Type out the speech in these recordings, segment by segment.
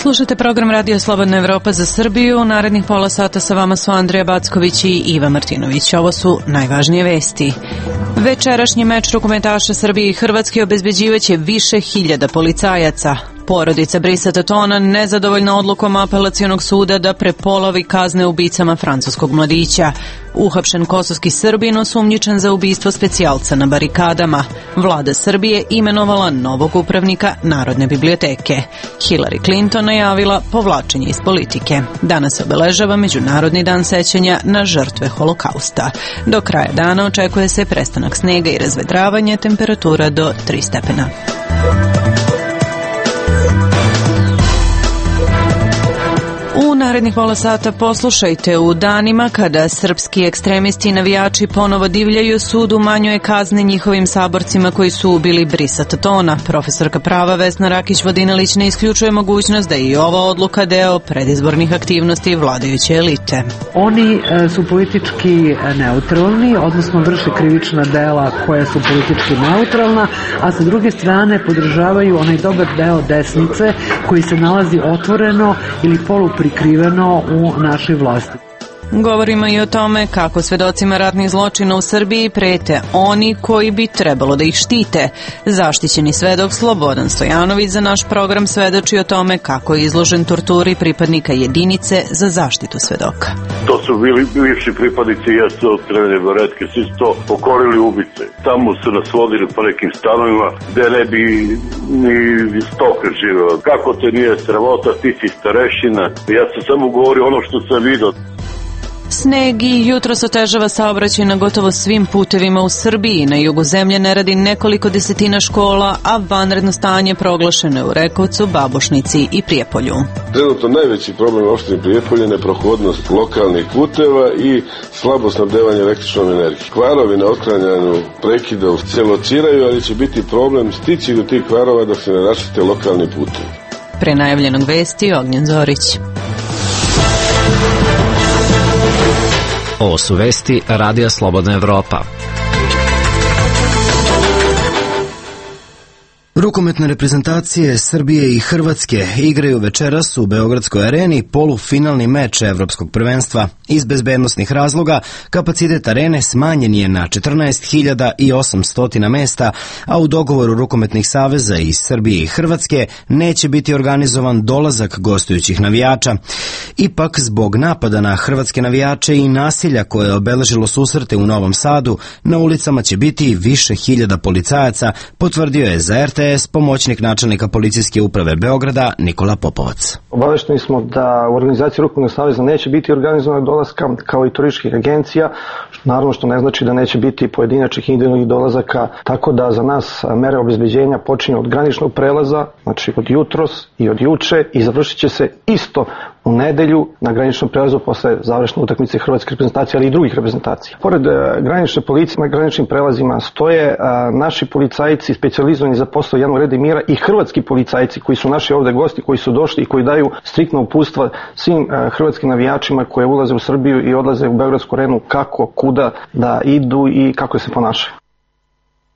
Slušajte program Radio Slobodna Evropa za Srbiju. Narednih pola sata sa vama su Andrija Backović i Iva Martinović. Ovo su najvažnije vesti. Večerašnji meč rukometaša Srbije i Hrvatske obezbeđivaće više hiljada policajaca. Porodica Brisa Tatona nezadovoljna odlukom apelacionog suda da prepolovi kazne ubicama francuskog mladića. Uhapšen kosovski Srbin osumnjičen za ubistvo specijalca na barikadama. Vlada Srbije imenovala novog upravnika Narodne biblioteke. Hillary Clinton najavila povlačenje iz politike. Danas se obeležava Međunarodni dan sećanja na žrtve Holokausta. Do kraja dana očekuje se prestanak snega i razvedravanje, temperatura do 3 stepena. U narednih pola sata poslušajte: u danima kada srpski ekstremisti i navijači ponovo divljaju, sud umanjuje kazne njihovim saborcima koji su ubili Brisa Tatona. Profesorka prava Vesna Rakić-Vodinelić ne isključuje mogućnost da je i ova odluka deo predizbornih aktivnosti vladajuće elite. Oni su politički neutralni, odnosno vrše krivična dela koja su politički neutralna, a sa druge strane podržavaju onaj dobar deo desnice koji se nalazi otvoreno ili poluprikriveno u našoj vlasti. Govorimo i o tome kako svedocima ratnih zločina u Srbiji prete oni koji bi trebalo da ih štite. Zaštićeni svedok Slobodan Stojanović za naš program svedoči o tome kako je izložen torturi pripadnika jedinice za zaštitu svedoka. To su bili bivši pripadnici JSO Crvene baretke, svi su to pokorili ubice. Tamo su nas vodili po nekim stanovima gde ne bi ni stoka živela. Kako te nije sramota, ti si starešina. Ja sam samo govorio ono što sam vidio. Sneg i jutros otežava saobraćaj na gotovo svim putevima u Srbiji. Na jugu zemlje ne radi nekoliko desetina škola, a vanredno stanje proglašeno je u Rekovcu, Babušnici i Prijepolju. Trenutno najveći problem u opštini Prijepolje je neprohodnost lokalnih puteva i slabo snabdevanje električnom energijom. Kvarovi na otklanjanju prekida se lociraju, ali će biti problem stići do tih kvarova dok se ne raščiste lokalni putevi. Pre najavljenog vesti Ognjen Zorić. Ovo su vesti Radija Slobodna Evropa. Rukometne reprezentacije Srbije i Hrvatske igraju večeras u Beogradskoj areni polufinalni meč Evropskog prvenstva. Iz bezbednosnih razloga kapacitet arene smanjen je na 14.800 mesta, a u dogovoru rukometnih saveza iz Srbije i Hrvatske neće biti organizovan dolazak gostujućih navijača. Ipak, zbog napada na hrvatske navijače i nasilja koje je obeležilo susrete u Novom Sadu, na ulicama će biti više hiljada policajaca, potvrdio je za RTS pomoćnik načelnika policijske uprave Beograda Nikola Popovac. Obavešteni smo da u organizaciji Rukometnog saveza neće biti organizovanog dolaska kao i turističkih agencija, naravno što ne znači da neće biti pojedinačnih individualnih dolazaka, tako da za nas mere obezbeđenja počinju od graničnog prelaza, znači od jutros i od juče, i završit će se isto u nedelju na graničnom prelazu posle završne utakmice hrvatske reprezentacije, ali i drugih reprezentacija. Pored granične policije na graničnim prelazima stoje naši policajci specijalizovani za posao javnog reda i mira i hrvatski policajci koji su naši ovde gosti, koji su došli i koji daju striktno uputstva svim hrvatskim navijačima koji ulaze u Srbiju i odlaze u Beogradsku arenu kako, kuda da idu i kako se ponašaju.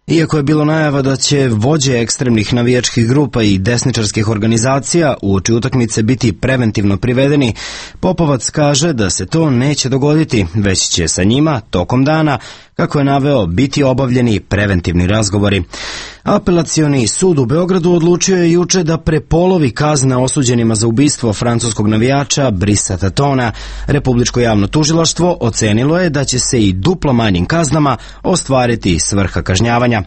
Iako je bilo najava da će vođe ekstremnih navijačkih grupa i desničarskih organizacija uoči utakmice biti preventivno privedeni, Popovac kaže da se to neće dogoditi, već će sa njima tokom dana, kako je naveo, biti obavljeni preventivni razgovori. Apelacioni sud u Beogradu odlučio je juče da prepolovi kazne osuđenima za ubistvo francuskog navijača Brisa Tatona. Republičko javno tužilaštvo ocenilo je da će se i duplo manjim kaznama ostvariti svrha kažnjavanja.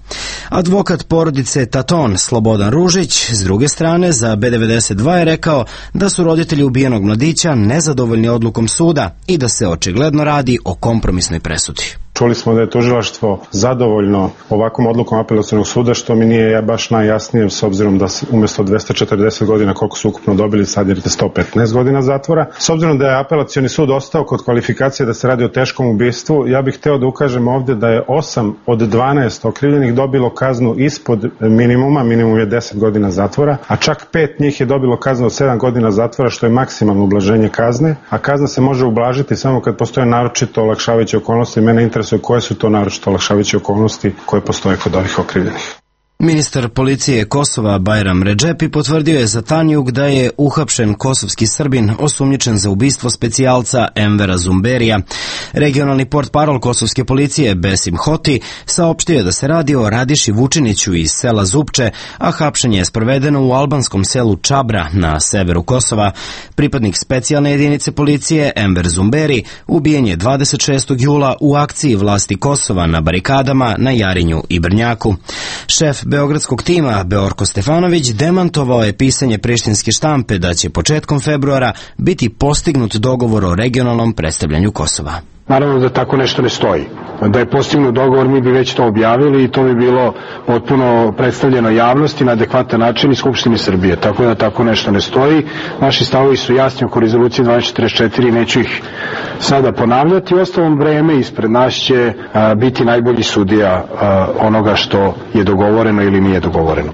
Advokat porodice Taton Slobodan Ružić s druge strane za B92 je rekao da su roditelji ubijenog mladića nezadovoljni odlukom suda i da se očigledno radi o kompromisnoj presudi. Čuli smo da je tužilaštvo zadovoljno ovakvom odlukom apelacionog suda, što mi nije baš najjasnije, s obzirom da umjesto 240 godina koliko su ukupno dobili, sad je 115 godina zatvora. S obzirom da je apelacioni sud ostao kod kvalifikacije da se radi o teškom ubistvu, ja bih hteo da ukažem ovdje da je 8 od 12 okrivljenih dobilo kaznu ispod minimuma, minimum je 10 godina zatvora, a čak 5 njih je dobilo kaznu od 7 godina zatvora, što je maksimalno ublaženje kazne, a kazna se može ublažiti samo kad postoje naročito olakšavajuće okolnosti. Mene interesuje koje su to naročito olakšavajuće okolnosti koje postoje kod ovih okrivljenih. Ministar policije Kosova Bajram Redžepi potvrdio je za Tanjug da je uhapšen kosovski Srbin osumnjičen za ubistvo specijalca Envera Zumberija. Regionalni portparol kosovske policije Besim Hoti saopštio je da se radi o Radiši Vučiniću iz sela Zupče, a hapšenje je sprovedeno u albanskom selu Čabra na severu Kosova. Pripadnik specijalne jedinice policije Enver Zumberi ubijen je 26. jula u akciji vlasti Kosova na barikadama na Jarinju i Brnjaku. Šef beogradskog tima Beorko Stefanović demantovao je pisanje prištinske štampe da će početkom februara biti postignut dogovor o regionalnom predstavljanju Kosova. Naravno da tako nešto ne stoji. Da je postignut dogovor, mi bi već to objavili i to bi bilo potpuno predstavljeno javnosti na adekvatan način i Skupštini Srbije. Tako da tako nešto ne stoji. Naši stavovi su jasni oko rezolucije 1244 i neću ih sada ponavljati. Ostalom, vreme ispred nas će biti najbolji sudija onoga što je dogovoreno ili nije dogovoreno.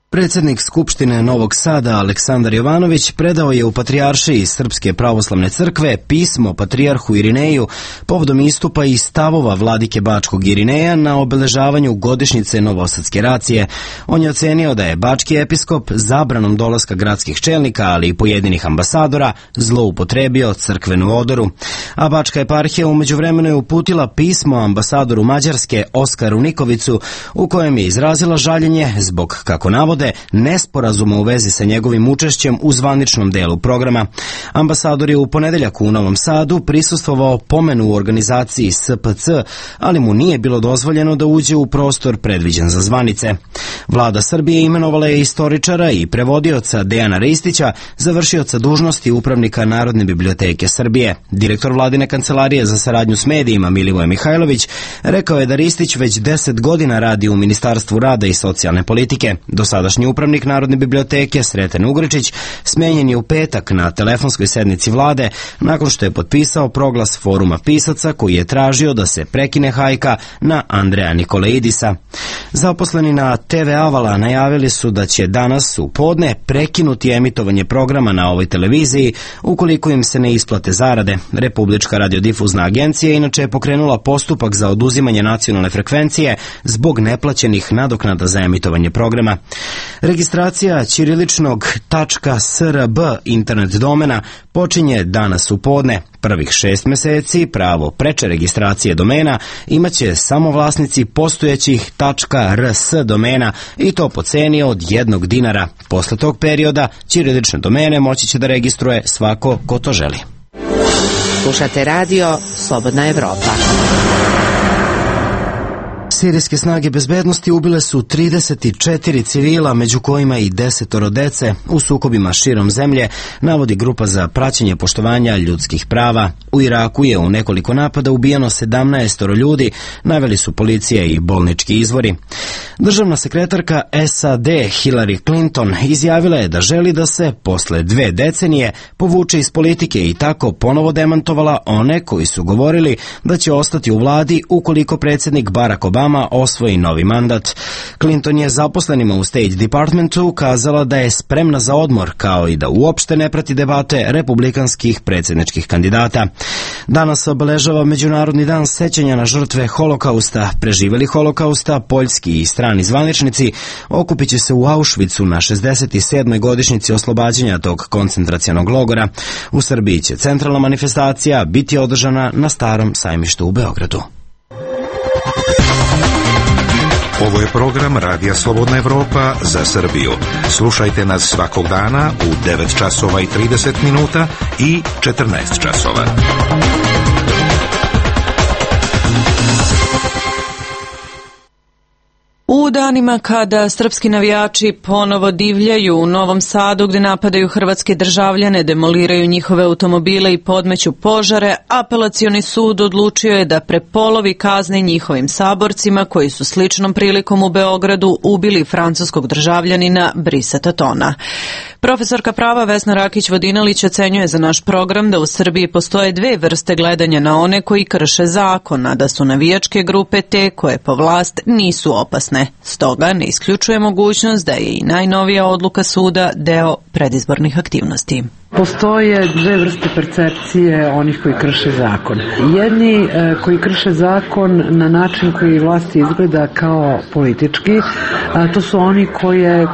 Predsjednik Skupštine Novog Sada Aleksandar Jovanović predao je u Patrijaršiji Srpske pravoslavne crkve pismo patrijarhu Irineju povodom istupa i stavova vladike Bačkog Irineja na obeležavanju godišnjice Novosadske racije. On je ocenio da je bački episkop zabranom dolaska gradskih čelnika, ali i pojedinih ambasadora, zloupotrebio crkvenu odoru. A Bačka eparhija umeđu vremenu je uputila pismo ambasadoru Mađarske Oskaru Nikovicu u kojem je izrazila žaljenje zbog, kako navode, nesporazuma u vezi sa njegovim učešćem u zvaničnom delu programa. Ambasador je u ponedeljak u Novom Sadu prisustvovao pomenu u organizaciji SPC, ali mu nije bilo dozvoljeno da uđe u prostor predviđen za zvanice. Vlada Srbije imenovala je istoričara i prevodioca Dejana Ristića, završioca dužnosti upravnika Narodne biblioteke Srbije. Direktor vladine kancelarije za saradnju s medijima Milivoje Mihajlović rekao je da Ristić već 10 godina radi u Ministarstvu rada i socijalne politike. Do sadašnji upravnik Narodne biblioteke Sreten Ugričić smenjen je u petak na telefonskoj sednici vlade nakon što je potpisao proglas foruma pisaca koji je tražio da se prekine hajka na Andreja Nikolaidisa. Zaposleni na TV Avala najavili su da će danas u podne prekinuti emitovanje programa na ovoj televiziji ukoliko im se ne isplate zarade. Republička radiodifuzna agencija inače je pokrenula postupak za oduzimanje nacionalne frekvencije zbog neplaćenih nadoknada za emitovanje programa. Registracija ćiriličnog .srb internet domena počinje danas u podne. Prvih 6 meseci pravo preče registracije domena imaće samo vlasnici postojećih .rs domena i to po ceni od $1. Posle tog perioda ćirilične domene moći će da registruje svako ko to želi. Slušate radio Slobodna Evropa. Sirijske snage bezbednosti ubile su 34 civila, među kojima i 10 dece, u sukobima širom zemlje, navodi grupa za praćenje poštovanja ljudskih prava. U Iraku je u nekoliko napada ubijeno 17 ljudi, naveli su policija i bolnički izvori. Državna sekretarka SAD Hillary Clinton izjavila je da želi da se posle 2 decenije povuče iz politike i tako ponovo demantovala one koji su govorili da će ostati u vladi ukoliko predsjednik Barack Obama osvoji novi mandat. Clinton je zaposlenima u State Departmentu kazala da je spremna za odmor, kao i da uopšte ne prati debate republikanskih predsjedničkih kandidata. Danas obeležava Međunarodni dan sećanja na žrtve Holokausta. Preživeli Holokausta, poljski i strani zvaničnici okupit će se u Auschwitzu na 67. godišnjici oslobađanja tog koncentracionog logora. U Srbiji će centralna manifestacija biti održana na Starom sajmištu u Beogradu. Ovo je program Radija Slobodna Evropa za Srbiju. Slušajte nas svakog dana u 9 časova i 30 minuta i 14 časova. U danima kada srpski navijači ponovo divljaju u Novom Sadu gde napadaju hrvatske državljane, demoliraju njihove automobile i podmeću požare, apelacioni sud odlučio je da prepolovi kazne njihovim saborcima koji su sličnom prilikom u Beogradu ubili francuskog državljanina Brisa Tatona. Profesorka prava Vesna Rakić-Vodinelić ocenjuje za naš program da u Srbiji postoje 2 vrste gledanja na one koji krše zakon, a da su navijačke grupe te koje po vlast nisu opasne. Stoga ne isključuje mogućnost da je i najnovija odluka suda deo predizbornih aktivnosti. Postoje dve vrste percepcije onih koji krše zakon. Jedni koji krše zakon na način koji vlasti izgleda kao politički, to su oni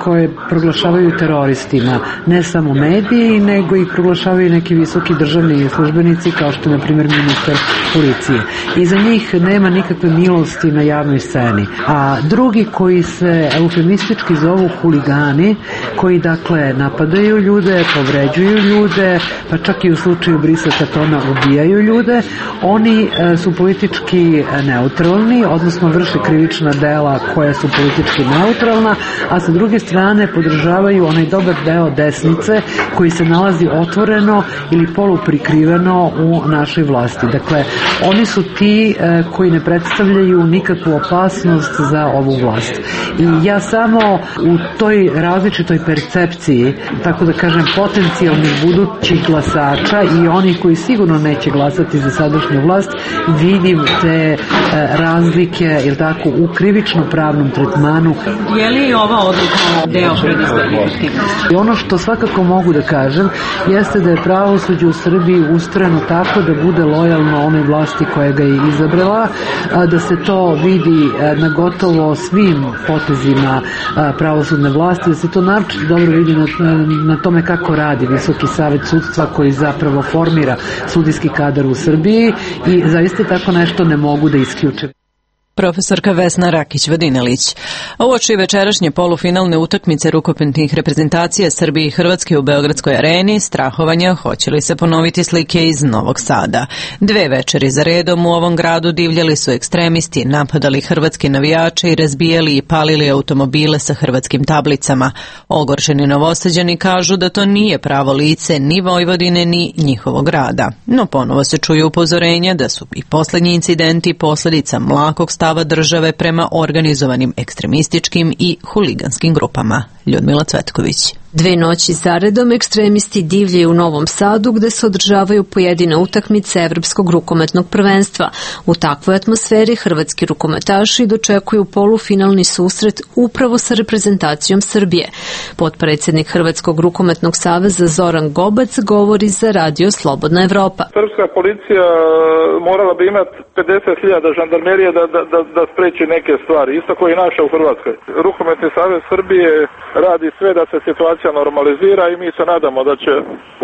koje proglašavaju teroristima, ne samo mediji, nego i proglašavaju neki visoki državni službenici kao što je na primjer ministar policije. I za njih nema nikakve milosti na javnoj sceni. A drugi koji se eufemistički zovu huligani, koji dakle napadaju ljude, povređuju ljude, pa čak i u slučaju Brisa Katona ubijaju ljude, oni su politički neutralni, odnosno vrše krivična dela koja su politički neutralna, a sa druge strane podržavaju onaj dobar deo desnice koji se nalazi otvoreno ili poluprikriveno u našoj vlasti. Dakle, oni su ti koji ne predstavljaju nikakvu opasnost za ovu vlast. I ja samo u toj različitoj percepciji, tako da kažem, potencijalnih budućih glasača i onih koji sigurno neće glasati za sadašnju vlast, vidim te razlike, jer tako, u krivično-pravnom tretmanu. Je li ova odluka deo predizbornih aktivnosti? Ono što svakako mogu da kažem jeste da je pravosuđe u Srbiji ustrojeno tako da bude lojalno onoj vlasti koja ga je izabrala, da se to vidi na gotovo svim potezima pravosudne vlasti, da se to naročito dobro vidi na tome kako radi Visoki savet sudstva koji zapravo formira sudijski kadar u Srbiji i zaista tako nešto ne mogu da isključim. Profesorka Vesna Rakić-Vodinelić. Uoči večerašnje polufinalne utakmice rukometnih reprezentacija Srbije i Hrvatske u Beogradskoj areni, strahovanja hoće li se ponoviti slike iz Novog Sada. 2 večeri za redom u ovom gradu divljali su ekstremisti, napadali hrvatske navijače i razbijali i palili automobile sa hrvatskim tablicama. Ogorčeni Novosađani kažu da to nije pravo lice ni Vojvodine ni njihovog grada. No ponovo se čuju upozorenja da su i poslednji incidenti posljedica mlakog stava države prema organizovanim ekstremističkim i huliganskim grupama. Ljudmila Cvetković. 2 noći zaredom ekstremisti divljaju u Novom Sadu gde se održavaju pojedine utakmice Evropskog rukometnog prvenstva. U takvoj atmosferi hrvatski rukometaši dočekuju polufinalni susret upravo sa reprezentacijom Srbije. Potpredsjednik Hrvatskog rukometnog saveza Zoran Gobac govori za Radio Slobodna Evropa. Srpska policija morala bi imati 50.000 žandarmerije da spreči neke stvari, isto koji i naša u Hrvatskoj. Rukometni savez Srbije radi sve da se situacija normalizira i mi se nadamo da će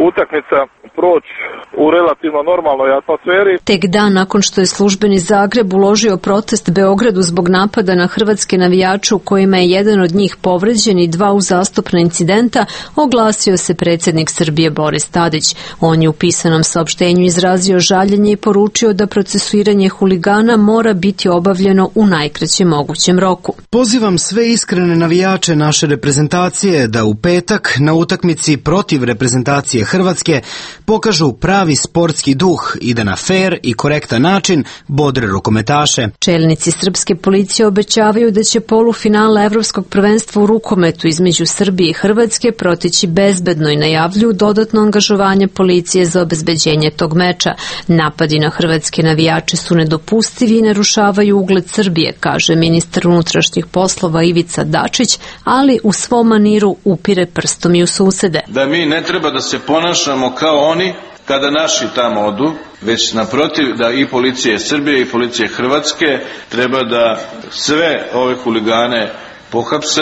utakmica proći u relativno normalnoj atmosferi. Tek dan nakon što je službeni Zagreb uložio protest Beogradu zbog napada na hrvatske navijače u kojima je jedan od njih povređen i 2 uzastopna incidenta, oglasio se predsjednik Srbije Boris Tadić. On je u pisanom saopštenju izrazio žaljenje i poručio da procesuiranje huligana mora biti obavljeno u najkraćem mogućem roku. Pozivam sve iskrene navijače naše reprezentacije da u petak na utakmici protiv reprezentacije Hrvatske pokažu pravi sportski duh i da na fer i korektan način bodre rukometaše. Čelnici srpske policije obećavaju da će polufinale Evropskog prvenstva u rukometu između Srbije i Hrvatske proteći bezbedno i najavljuju dodatno angažovanje policije za obezbeđenje tog meča. Napadi na hrvatske navijače su nedopustivi i narušavaju ugled Srbije, kaže ministar unutrašnjih poslova Ivica Dačić, ali u svom maniru upire prstom i u susede. Da mi ne treba da se ponašamo kao oni kada naši tamo odu, već naprotiv da i policije Srbije i policije Hrvatske treba da sve ove huligane pohapse.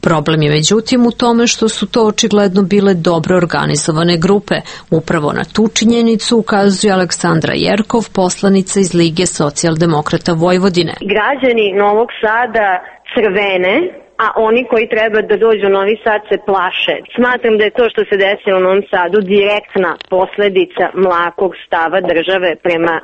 Problem je međutim u tome što su to očigledno bile dobro organizovane grupe. Upravo na tu činjenicu ukazuje Aleksandra Jerkov, poslanica iz Lige socijaldemokrata Vojvodine. Građani Novog Sada crvene, a oni koji treba da dođu u Novi Sad se plaše. Smatram da je to što se desilo u Novom Sadu direktna posledica mlakog stava države prema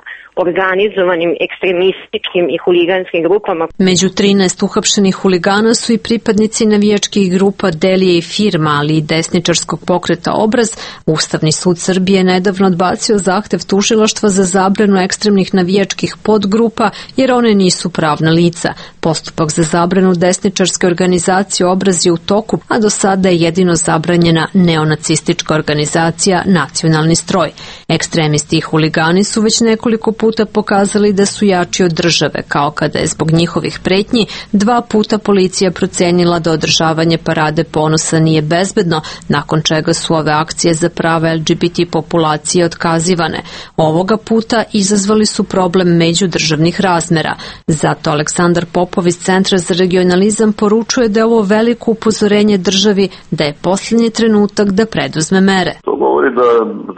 organizovanim ekstremističkim i huliganskim grupama. Među 13 uhapšenih huligana su i pripadnici navijačkih grupa Delije i Firma, ali i desničarskog pokreta Obraz. Ustavni sud Srbije nedavno odbacio zahtev tužilaštva za zabranu ekstremnih navijačkih podgrupa jer one nisu pravna lica. Postupak za zabranu desničarske organizacije organizacije Obraz je u toku, a do sada je jedino zabranjena neonacistička organizacija Nacionalni stroj. Ekstremisti i huligani su već nekoliko puta pokazali da su jači od države, kao kada je zbog njihovih pretnji 2 puta policija procenila da održavanje parade ponosa nije bezbedno, nakon čega su ove akcije za prava LGBT populacije otkazivane. Ovoga puta izazvali su problem međudržavnih razmera. Zato Aleksandar Popov iz Centra za regionalizam poručuje da je ovo veliko upozorenje državi da je posljednji trenutak da preduzme mere. To govori da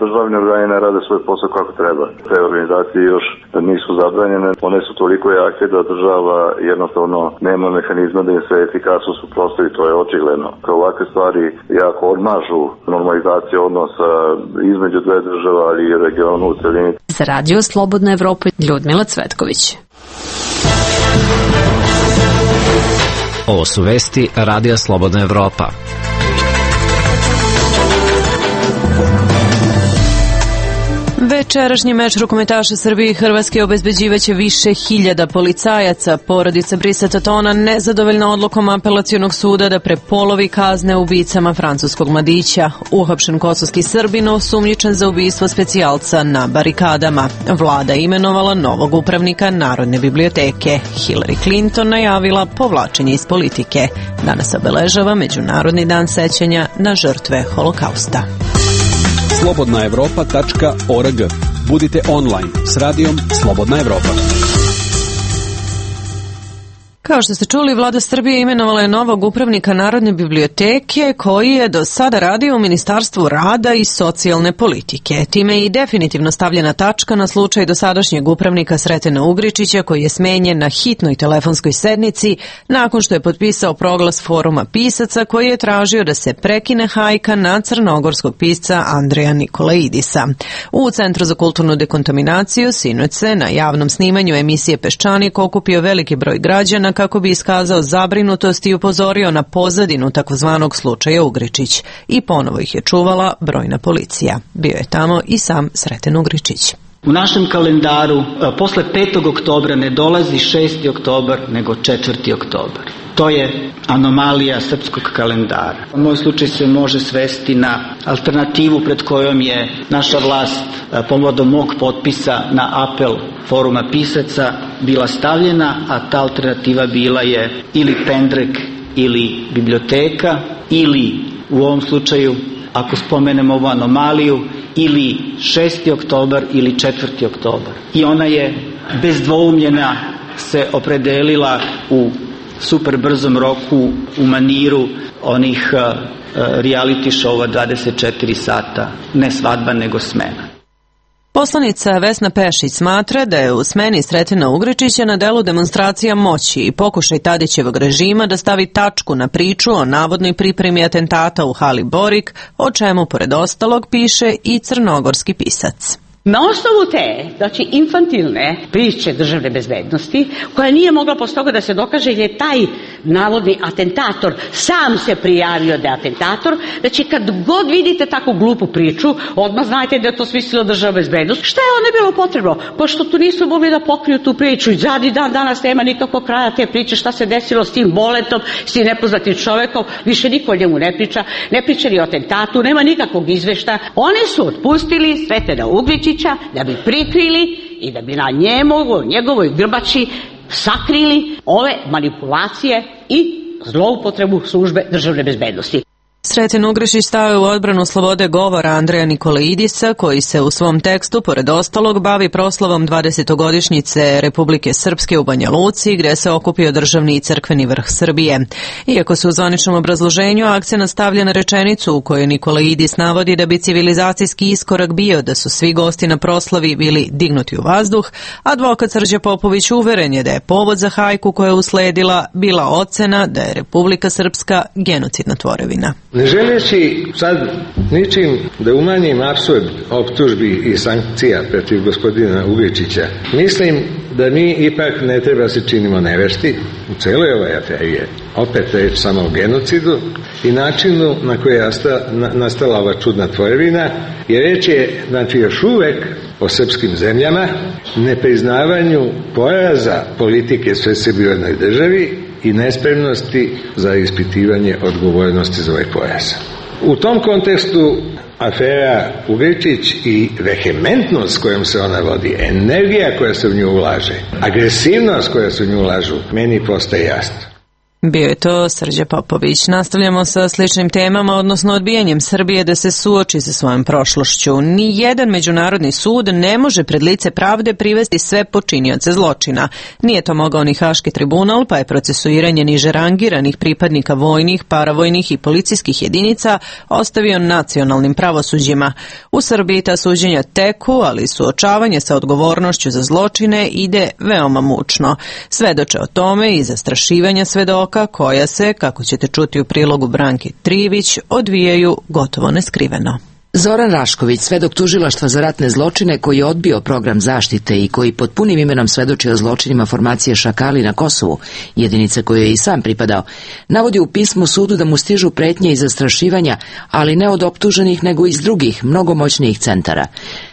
državni organi ne rade svoj posao kako treba. Te organizacije još nisu zabranjene, one su toliko jake da država jednostavno nema mehanizma da im se efikasno suprotstavi, to je očigledno. Kao ovakve stvari jako odmažu normalizaciju odnosa između dve država, ali i regionu u celini. Za Radio Slobodna Evropa, Ljudmila Cvetković. Ovo su vesti Radija Slobodna Evropa. Večerašnji meč rukometaša Srbije i Hrvatske obezbeđivaće više hiljada policajaca. Porodica Brisa Tona nezadovoljna odlukom apelacionog suda da prepolovi kazne ubicama francuskog mladića. Uhapšen kosovski Srbin osumnjičen za ubistvo specijalca na barikadama. Vlada imenovala novog upravnika Narodne biblioteke. Hillary Clinton najavila povlačenje iz politike. Danas obeležava Međunarodni dan sećanja na žrtve Holokausta. slobodnaevropa.org. Budite online s radijom Slobodna Evropa. Kao što ste čuli, Vlada Srbije imenovala je novog upravnika Narodne biblioteke koji je do sada radio u Ministarstvu rada i socijalne politike. Time je i definitivno stavljena tačka na slučaj dosadašnjeg upravnika Sretena Ugričića koji je smenjen na hitnoj telefonskoj sednici nakon što je potpisao proglas Foruma pisaca koji je tražio da se prekine hajka na crnogorskog pisca Andreja Nikolaidisa. U Centru za kulturnu dekontaminaciju sinoć se na javnom snimanju emisije Peščanik okupio veliki broj građana kako bi iskazao zabrinutost i upozorio na pozadinu takozvanog slučaja Ugričić. I ponovo ih je čuvala brojna policija. Bio je tamo i sam Sreten Ugričić. U našem kalendaru posle 5. oktobra ne dolazi 6. oktobar, nego 4. oktobar. To je anomalija srpskog kalendara. Moj slučaj se može svesti na alternativu pred kojom je naša vlast povodom mog potpisa na apel Foruma pisaca bila stavljena, a ta alternativa bila je ili pendrek ili biblioteka, ili u ovom slučaju, ako spomenemo ovu anomaliju, ili 6. oktobar ili 4. oktobar. I ona je bez dvoumljena se opredelila u super brzom roku u maniru onih reality showa 24 sata, ne svadba nego smena. Poslanica Vesna Pešić smatra da je u smeni Sretena Ugričića na delu demonstracija moći i pokušaj Tadićevog režima da stavi tačku na priču o navodnoj pripremi atentata u hali Borik, o čemu pored ostalog piše i crnogorski pisac. Na osnovu te, znači infantilne priče državne bezbednosti, koja nije mogla posle toga da se dokaže jer je taj navodni atentator sam se prijavio da je atentator, znači kad god vidite takvu glupu priču, odmah znajte da je to smislila državna bezbednost. Šta je onda bilo potrebno? Pošto tu nisu mogli da pokriju tu priču i zadnji dan danas nema nikakvog kraja te priče šta se desilo s tim boletom, s tim nepoznatim čovekom, više niko o njemu ne priča ni o atentatu, nema nikakvog izvešta. Oni su otpustili Sretena Ugričića da bi prikrili i da bi na njegovoj grbači sakrili ove manipulacije i zloupotrebu službe državne bezbednosti. Sreten Ugričić stao je u odbranu slobode govora Andreja Nikolaidisa, koji se u svom tekstu, pored ostalog, bavi proslavom 20-godišnjice Republike Srpske u Banja Luci, gde se okupio državni i crkveni vrh Srbije. Iako se u zvaničnom obrazloženju akcenat stavlja na rečenicu u kojoj Nikolaidis navodi da bi civilizacijski iskorak bio da su svi gosti na proslavi bili dignuti u vazduh, advokat Srđe Popović uveren je da je povod za hajku koja je usledila bila ocena da je Republika Srpska genocidna tvorevina. Ne želeći sad ničim da umanjim apsurd optužbi i sankcija protiv gospodina Ugričića, mislim da mi ipak ne treba se činimo nevešti. U celoj ovoj aferi je opet reč samo o genocidu i načinu na koji je nastala ova čudna tvorevina, jer reč je znači još uvek o srpskim zemljama, nepriznavanju poraza politike sve Srbije u jednoj državi i nespremnosti za ispitivanje odgovornosti za ovaj pojas. U tom kontekstu afera Ugljičić i vehementnost kojom se ona vodi, energija koja se u nju ulaže, agresivnost koja se u nju ulažu, meni postaje jasno. Bio je to Srđa Popović. Nastavljamo sa sličnim temama, odnosno odbijanjem Srbije da se suoči sa svojom prošlošću. Ni jedan međunarodni sud ne može pred lice pravde privesti sve počinioce zločina. Nije to mogao ni Haški tribunal, pa je procesuiranje niže rangiranih pripadnika vojnih, paravojnih i policijskih jedinica ostavio nacionalnim pravosuđima. U Srbiji ta suđenja teku, ali suočavanje sa odgovornošću za zločine ide veoma mučno. Svedoče o tome i zastrašivanja svedoka koja se, kako ćete čuti u prilogu Branke Trivić, odvijaju gotovo neskriveno. Zoran Rašković, svedok tužilaštva za ratne zločine koji je odbio program zaštite i koji pod punim imenom svedoči o zločinima formacije Šakali na Kosovu, jedinice koje je i sam pripadao, navodi u pismu sudu da mu stižu pretnje i zastrašivanja, ali ne od optuženih nego iz drugih, mnogo moćnijih centara.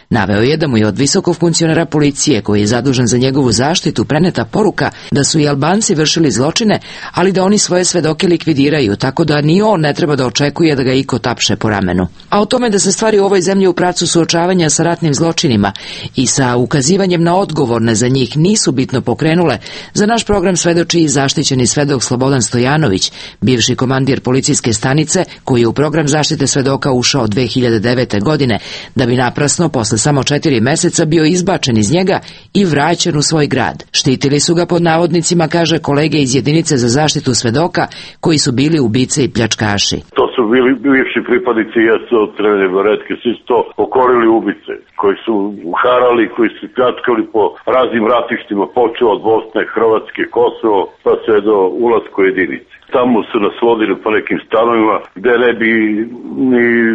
Naveo je da mu je od visokog funkcionera policije koji je zadužen za njegovu zaštitu preneta poruka da su i Albanci vršili zločine, ali da oni svoje svedoke likvidiraju, tako da ni on ne treba da očekuje da ga iko tapše po ramenu. A o tome da se stvari u ovoj zemlji u pravcu suočavanja sa ratnim zločinima i sa ukazivanjem na odgovorne za njih nisu bitno pokrenule, za naš program svedoči i zaštićeni svedok Slobodan Stojanović, bivši komandir policijske stanice koji je u program zaštite svedoka ušao 2009. godine, da bi naprasno posle samo 4 meseca bio izbačen iz njega i vraćen u svoj grad. Štitili su ga pod navodnicima, kaže kolege iz jedinice za zaštitu svedoka, koji su bili ubice i pljačkaši. To su bili bivši pripadnici JSO Crvene baretke, svi su to pokorili ubice, koji su harali, koji su pljačkali po raznim ratištima, počeo od Bosne, Hrvatske, Kosovo, pa sve do ulaska u jedinice. Tamo su nas vodili po nekim stanovima gde ne bi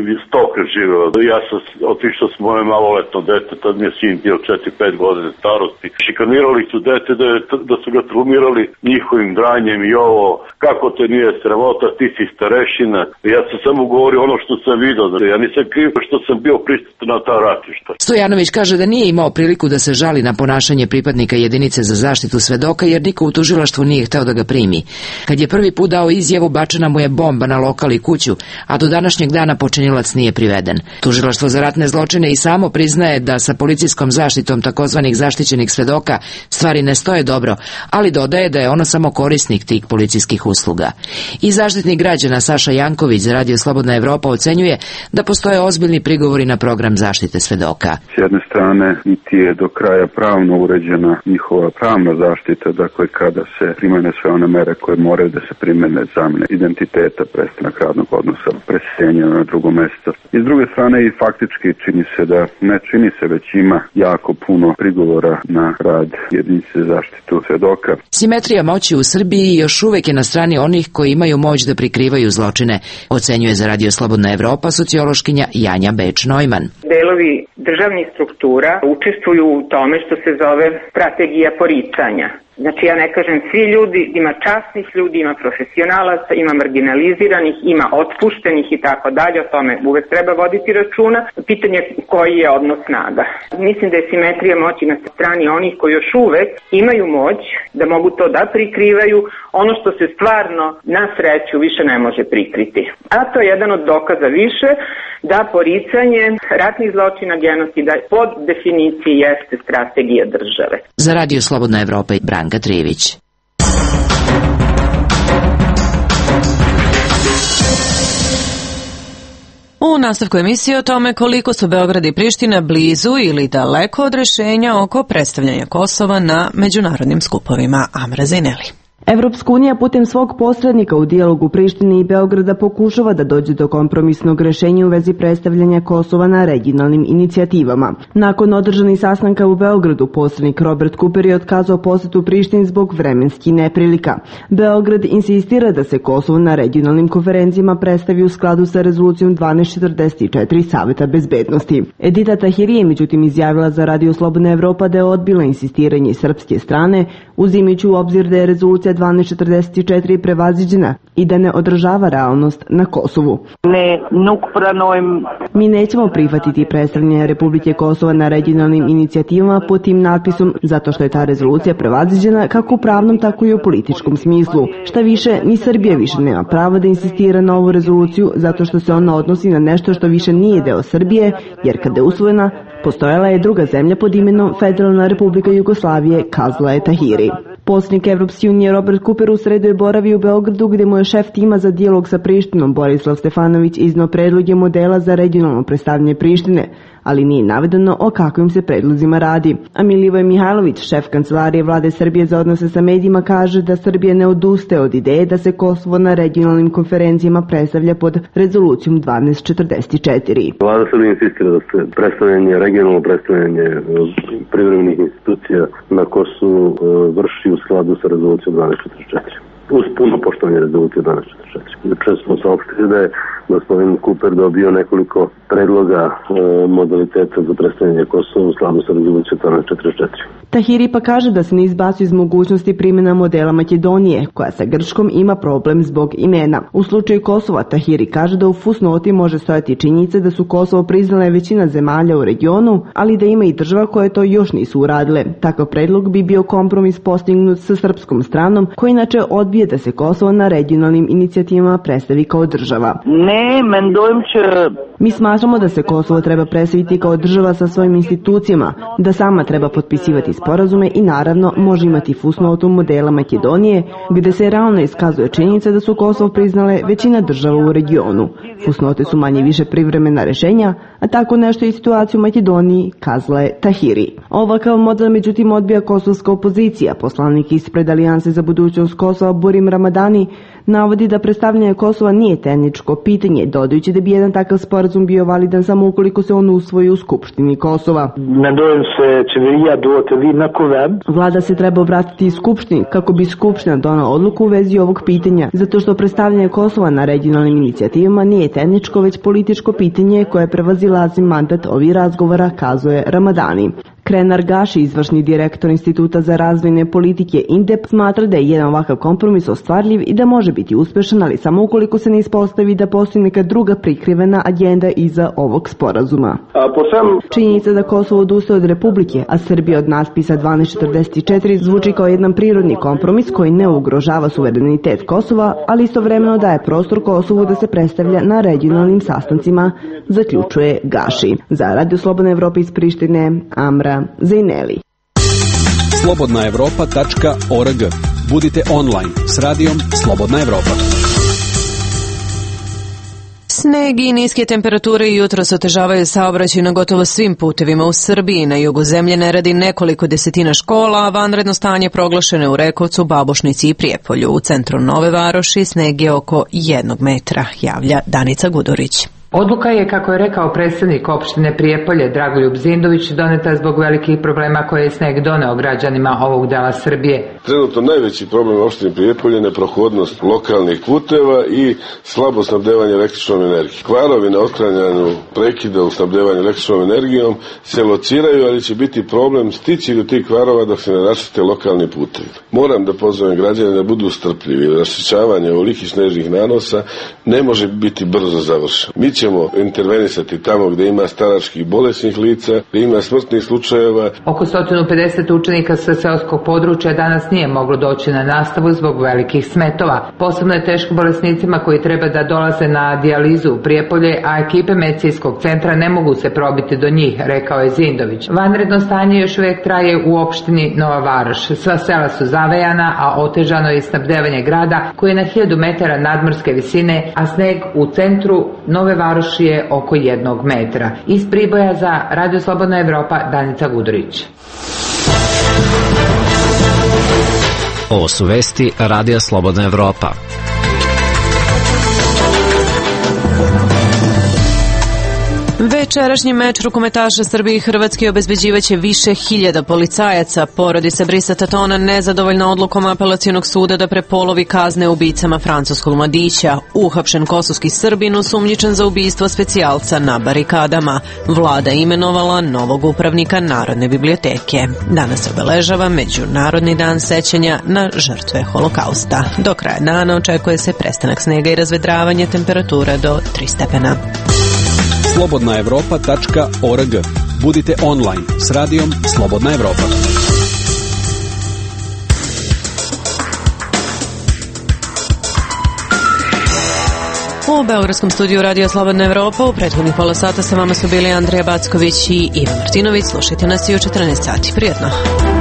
ni stoka živeo. Ja sam otišao s moje maloletno dete, tad mi je sin bio 4-5 godine starosti. Šikanirali su dete da su ga trumirali njihovim dranjem i ovo, kako te nije sramota, ti si starešina. Ja sam samo govorio ono što sam vidio, ja nisam kriv što sam bio prisutan na ta ratišta. Stojanović kaže da nije imao priliku da se žali na ponašanje pripadnika jedinice za zaštitu svedoka jer niko u tužilaštvu nije hteo da ga primi. Kad je prvi put dao izjavu, bačena mu je bomba na lokal i kuću, a do današnjeg dana počinilac nije priveden. Tužilaštvo za ratne zločine i samo priznaje da sa policijskom zaštitom takozvanih zaštićenih svedoka stvari ne stoje dobro, ali dodaje da je ono samo korisnik tih policijskih usluga. I zaštitnik građana Saša Janković za Radio Slobodna Evropa ocenjuje da postoje ozbiljni prigovori na program zaštite svedoka. S jedne strane, niti je do kraja pravno uređena njihova pravna zaštita, dakle kada se primene sve one mere koje moraju da se primene, zamene identiteta, prestanak radnog odnosa, preseljenje na drugo mesto. I s druge strane i faktički čini se da ne čini se, već ima jako puno prigovora na rad jedinice za zaštitu svedoka. Simetrija moći u Srbiji još uvek je na strani onih koji imaju moć da prikrivaju zločine, ocenjuje za Radio Slobodna Evropa sociološkinja Janja Beč-Neumann. Delovi državnih struktura učestvuju u tome što se zove strategija poricanja. Znači ja ne kažem svi ljudi, ima časnih ljudi, ima profesionalaca, ima marginaliziranih, ima otpuštenih i tako dalje, o tome uvek treba voditi računa. Pitanje koji je odnos snaga. Mislim da je simetrija moći na strani onih koji još uvek imaju moć da mogu to da prikrivaju, ono što se stvarno na sreću više ne može prikriti. A to je jedan od dokaza više da poricanje ratnih zločina, genocida pod definiciji jeste strategija države. Za Radio Slobodna Evropa i Branka Trivić. U nastavku emisije o tome koliko su Beograd i Priština blizu ili daleko od rešenja oko predstavljanja Kosova na međunarodnim skupovima. Amra Zaineli. Evropska unija putem svog posrednika u dijalogu Prištine i Beograda pokušava da dođe do kompromisnog rešenja u vezi predstavljanja Kosova na regionalnim inicijativama. Nakon održanih sastanka u Beogradu, posrednik Robert Cooper je otkazao posetu Prištini zbog vremenskih neprilika. Beograd insistira da se Kosovo na regionalnim konferencijama predstavi u skladu sa rezolucijom 1244 Saveta bezbednosti. Edita Tahiri je međutim izjavila za Radio Slobodna Evropa da je odbila insistiranje srpske strane, uzimajući u obzir da je rezolucija 1244 prevaziđena i da ne odražava realnost na Kosovu. Mi nećemo prihvatiti predstavljanje Republike Kosova na regionalnim inicijativama pod tim natpisom zato što je ta rezolucija prevaziđena kako u pravnom tako i u političkom smislu. Šta više, ni Srbija više nema pravo da insistira na ovu rezoluciju zato što se ona odnosi na nešto što više nije deo Srbije, jer kada je usvojena, postojala je druga zemlja pod imenom Federalna Republika Jugoslavije, kazala je Tahiri. Poslanik Evropske unije Robert Cooper u sredu je boravio u Beogradu gde mu je šef tima za dijalog sa Prištinom Borislav Stefanović izneo predloge modela za regionalno predstavljanje Prištine, ali nije navedeno o kakvim se predlozima radi. A Milivoj Mihajlović, šef kancelarije vlade Srbije za odnose sa medijima, kaže da Srbija ne odustaje od ideje da se Kosovo na regionalnim konferencijama predstavlja pod rezolucijom 1244. Vlada Srbije insistira da se regionalno predstavljanje privremenih institucija na Kosovu vrši u skladu sa rezolucijom 1244. Uz puno poštovanje rezolucije 1244. Juče smo saopštili da je gospodin Cooper dobio nekoliko predloga modaliteta za predstavljanje Kosova u skladu sa rezolucijom 1244. Tahiri pa kaže da se ne izbacuje iz mogućnosti primjena modela Makedonije, koja sa Grčkom ima problem zbog imena. U slučaju Kosova, Tahiri kaže da u fusnoti može stojati činjenica da su Kosovo priznale većina zemalja u regionu, ali da ima i država koje to još nisu uradile. Takav predlog bi bio kompromis postignut sa srpskom stranom, koji inače odbije da se Kosovo na regionalnim inicijativama predstavi kao država. Mi smatramo da se Kosovo treba predstaviti kao država sa svojim institucijama, da sama treba potpisivati sporazume i naravno može imati fusnotu modela Makedonije, gde se realno iskazuje činjenica da su Kosovo priznale većina država u regionu. Fusnote su manje više privremena rešenja, a tako nešto i situaciju u Makedoniji, kazala je Tahiri. Ovakav model međutim odbija kosovska opozicija. Poslanik ispred Alijanse za budućnost Kosova Burim Ramadani navodi da predstavljanje Kosova nije tehničko pitanje, dodajući da bi jedan takav sporazum bio validan samo ukoliko se on usvoji u Skupštini Kosova. Vlada se treba obratiti i Skupštini kako bi Skupština donala odluku u vezi ovog pitanja, zato što predstavljanje Kosova na regionalnim inicijativama nije tehničko, već političko pitanje koje prevazilazi mandat ovih razgovora, kazuje Ramadani. Krenar Gaši, izvršni direktor Instituta za razvojne politike INDEP, smatra da je jedan ovakav kompromis ostvarljiv i da može biti uspešan, ali samo ukoliko se ne ispostavi da postoji neka druga prikrivena agenda iza ovog sporazuma. Činjenica da Kosovo odustaje od Republike, a Srbija od natpisa 1244 zvuči kao jedan prirodni kompromis koji ne ugrožava suverenitet Kosova, ali istovremeno daje prostor Kosovu da se predstavlja na regionalnim sastancima, zaključuje Gaši. Za Radio Slobodna Evropa iz Prištine, Amra Zejneli. slobodnaevropa.org. Budite online s radijom Slobodna Evropa. Sneg i niske temperature jutros otežavaju saobraćaj na gotovo svim putevima u Srbiji. Na jugu zemlje ne radi nekoliko desetina škola, a vanredno stanje proglašeno u Rekovcu, Babušnici i Prijepolju. U centru Nove Varoši sneg je oko 1 metra, javlja Danica Gudurić. Odluka je, kako je rekao predstavnik opštine Prijepolje Dragoljub Zindović, doneta zbog velikih problema koje je sneg doneo građanima ovog dela Srbije. Trenutno najveći problem opštine Prijepolje je neprohodnost lokalnih puteva i slabo snabdevanje električnom energijom. Kvarovi na otklanjanju prekida u snabdevanju električnom energijom se lociraju, ali će biti problem stići do tih kvarova dok se ne raščiste lokalni putevi. Moram da pozovem građane da budu strpljivi. Raščišćavanje ovolikih snežnih nanosa ne može biti brzo završeno. Mi ćemo intervenisati tamo gde ima staračkih bolesnih lica, gde ima smrtnih slučajeva. Oko 150 učenika sa seoskog područja danas nije moglo doći na nastavu zbog velikih smetova. Posebno je teško bolesnicima koji treba da dolaze na dijalizu u Prijepolje, a ekipe medicinskog centra ne mogu se probiti do njih, rekao je Zindović. Vanredno stanje još uvijek traje u opštini Nova Varoš. Sva sela su zavejana, a otežano je snabdevanje grada koji je na 1000 metara nadmorske visine, a sneg u centru Nove Varoši je oko 1 metra. Iz Priboja za Radio Slobodna Evropa, Danica Gudurić. Ovo su vesti Radija Slobodna Evropa. Večerašnji meč rukometaša Srbije i Hrvatske obezbeđivaće više hiljada policajaca. Porodica Brisa Tatona nezadovoljna odlukom apelacionog suda da prepolovi kazne ubicama francuskog mladića. Uhapšen kosovski Srbin osumnjičen za ubistvo specijalca na barikadama. Vlada imenovala novog upravnika Narodne biblioteke. Danas se obeležava Međunarodni dan sećanja na žrtve Holokausta. Do kraja dana očekuje se prestanak snega i razvedravanje, temperatura do 3 stepena. slobodnaevropa.org. Budite online s radijom Slobodna Evropa. U beogradskom studiju Radija Slobodna Evropa u prethodnih pola sata sa vama su bili Andrija Backović i Ivan Martinović. Slušajte nas i u 14 sati. Prijetno!